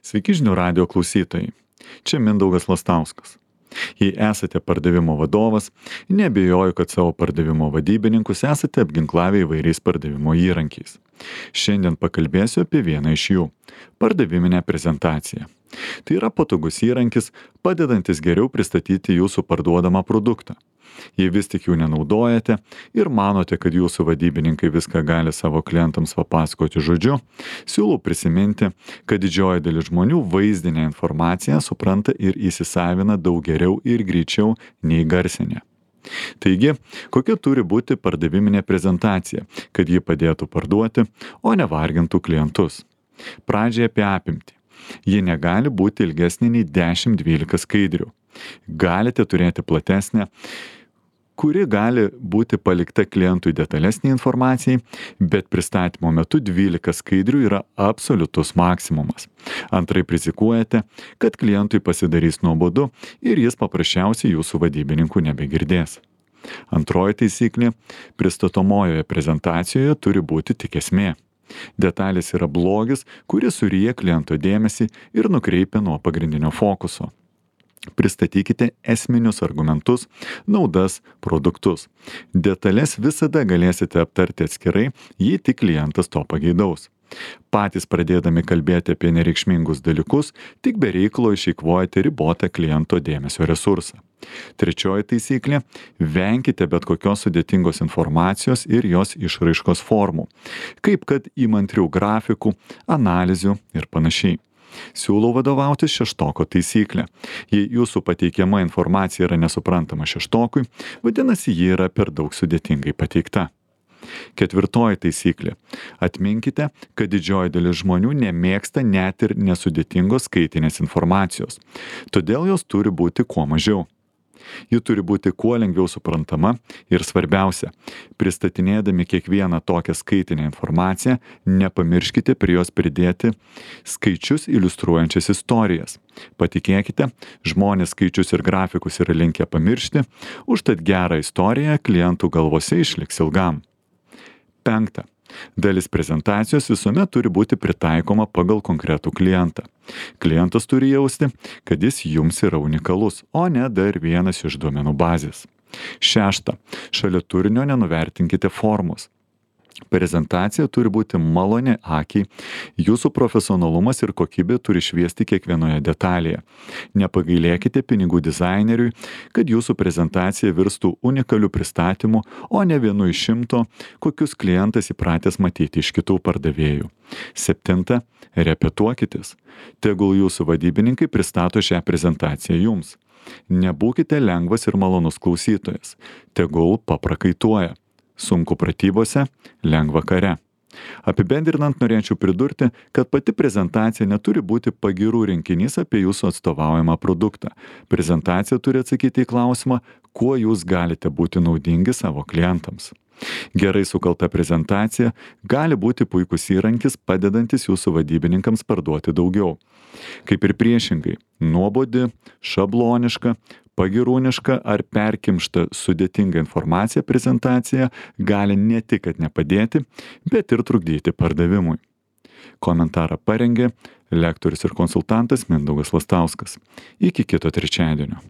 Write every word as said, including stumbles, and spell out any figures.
Sveiki žinių radijo klausytojai. Čia Mindaugas Lastauskas. Jei esate pardavimo vadovas, neabejoju, kad savo pardavimo vadybininkus esate apginklavę įvairiais pardavimo įrankiais. Šiandien pakalbėsiu apie vieną iš jų – pardaviminę prezentaciją. Tai yra patogus įrankis, padedantis geriau pristatyti jūsų parduodamą produktą. Jei vis tik jų nenaudojate ir manote, kad jūsų vadybininkai viską gali savo klientams papasakoti žodžiu, siūlau prisiminti, kad didžioji dalis žmonių vaizdinę informaciją supranta ir įsisavina daug geriau ir greičiau nei garsinę. Taigi, kokia turi būti pardaviminė prezentacija, kad ji padėtų parduoti, o nevargintų klientus? Pradžiai apie apimtį. Ji negali būti ilgesnė nei dešimt dvylika skaidrių. Galite turėti platesnę, kuri gali būti palikta klientui detalesnė informacijai, bet pristatymo metu dvylika skaidrių yra absoliutus maksimumas. Antraip rizikuojate, kad klientui pasidarys nuobodu ir jis paprasčiausiai jūsų vadybininkų nebegirdės. Antroji taisyklė – pristatomojoje prezentacijoje turi būti tik esmė. Detalės yra blogis, kuris suryja kliento dėmesį ir nukreipia nuo pagrindinio fokuso. Pristatykite esminius argumentus, naudas, produktus. Detalės visada galėsite aptarti atskirai, jei tik klientas to pageidaus. Patys pradėdami kalbėti apie nereikšmingus dalykus, tik be reikalo išeikvojate ribotą kliento dėmesio resursą. Trečioji taisyklė – venkite bet kokios sudėtingos informacijos ir jos išraiškos formų, kaip kad įmantrių grafikų, analizių ir panašiai. Siūlau vadovautis šeštoko taisyklę. Jei jūsų pateikiama informacija yra nesuprantama šeštokui, vadinasi, ji yra per daug sudėtingai pateikta. Ketvirtoji taisyklė. Atminkite, kad didžioji dalis žmonių nemėgsta net ir nesudėtingos skaitinės informacijos. Todėl jos turi būti kuo mažiau. Ji turi būti kuo lengviau suprantama ir svarbiausia, pristatinėdami kiekvieną tokią skaitinę informaciją, nepamirškite prie jos pridėti skaičius iliustruojančias istorijas. Patikėkite, žmonės skaičius ir grafikus yra linkę pamiršti, užtat gerą istoriją klientų galvose išliks ilgam. Penkta. Dalis prezentacijos visuomet turi būti pritaikoma pagal konkretų klientą. Klientas turi jausti, kad jis jums yra unikalus, o ne dar vienas iš duomenų bazės. Šešta. Šalia turinio nenuvertinkite formos. Prezentacija turi būti maloni akiai, jūsų profesionalumas ir kokybė turi šviesti kiekvienoje detalėje. Nepagailėkite pinigų dizaineriui, kad jūsų prezentacija virstų unikaliu pristatymu, o ne vienu iš šimto, kokius klientas įpratęs matyti iš kitų pardavėjų. Septinta. Repetuokitės. Tegul jūsų vadybininkai pristato šią prezentaciją jums. Nebūkite lengvas ir malonus klausytojas. Tegul paprakaituoja. Sunku pratybose, lengva kare. Apibendrinant norėčiau pridurti, kad pati prezentacija neturi būti pagyrų rinkinys apie jūsų atstovaujamą produktą. Prezentacija turi atsakyti į klausimą, kuo jūs galite būti naudingi savo klientams. Gerai sukalta prezentacija gali būti puikus įrankis, padedantis jūsų vadybininkams parduoti daugiau. Kaip ir priešingai, nuobodi, šabloniška, pagyrūniška ar perkimšta sudėtinga informacija prezentacija gali ne tik kad nepadėti, bet ir trukdyti pardavimui. Komentarą parengė lektorius ir konsultantas Mindaugas Lastauskas. Iki kito trečiadienio.